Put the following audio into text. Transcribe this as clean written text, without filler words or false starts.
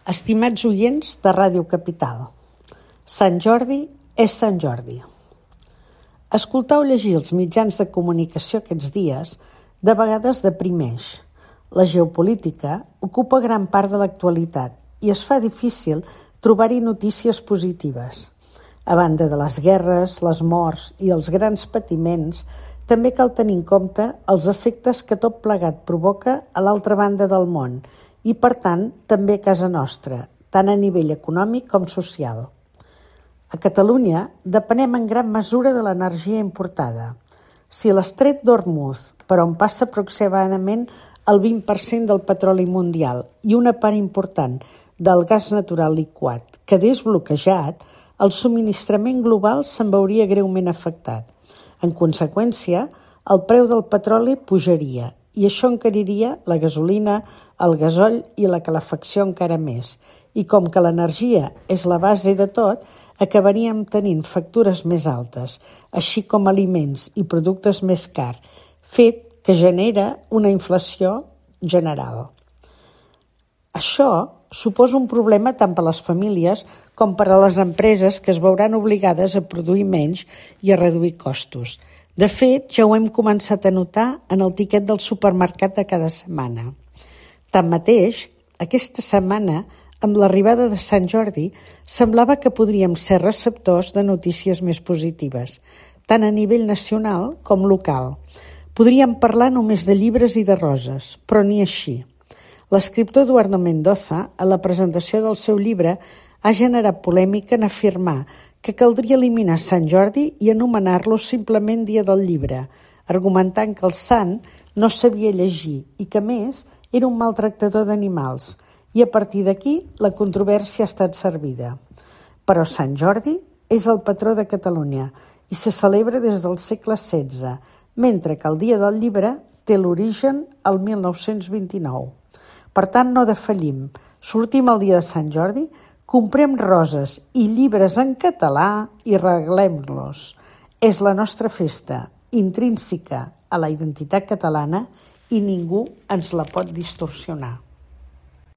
Estimats oients de Ràdio Capital, Sant Jordi és Sant Jordi. Escoltar o llegir els mitjans de comunicació aquests dies de vegades deprimeix. La geopolítica ocupa gran part de l'actualitat i es fa difícil trobar-hi notícies positives. A banda de les guerres, les morts i els grans patiments, també cal tenir en compte els efectes que tot plegat provoca a l'altra banda del món i, per tant, també a casa nostra, tant a nivell econòmic com social. A Catalunya depenem en gran mesura de l'energia importada. Si l'estret d'Hormuz, per on passa aproximadament el 20% del petroli mundial i una part important del gas natural liquat, quedés bloquejat, el subministrament global se'n veuria greument afectat. En conseqüència, el preu del petroli pujaria i això encariria la gasolina, el gasoll i la calefacció encara més. I com que l'energia és la base de tot, acabaríem tenint factures més altes, així com aliments i productes més cars, fet que genera una inflació general. Això suposa un problema tant per a les famílies com per a les empreses que es veuran obligades a produir menys i a reduir costos. De fet, ja ho hem començat a notar en el tiquet del supermercat de cada setmana. Tanmateix, aquesta setmana, amb l'arribada de Sant Jordi, semblava que podríem ser receptors de notícies més positives, tant a nivell nacional com local. Podríem parlar només de llibres i de roses, però ni així. L'escriptor Eduardo Mendoza, a la presentació del seu llibre, ha generat polèmica en afirmar que caldria eliminar Sant Jordi i anomenar-lo simplement Dia del Llibre, argumentant que el sant no sabia llegir i que, a més, era un maltractador d'animals. I a partir d'aquí la controvèrsia ha estat servida. Però Sant Jordi és el patró de Catalunya i se celebra des del segle XVI, mentre que el Dia del Llibre té l'origen al 1929. Per tant, no defallim. Sortim el dia de Sant Jordi, comprem roses i llibres en català i regalem-los. És la nostra festa, intrínseca a la identitat catalana i ningú ens la pot distorsionar.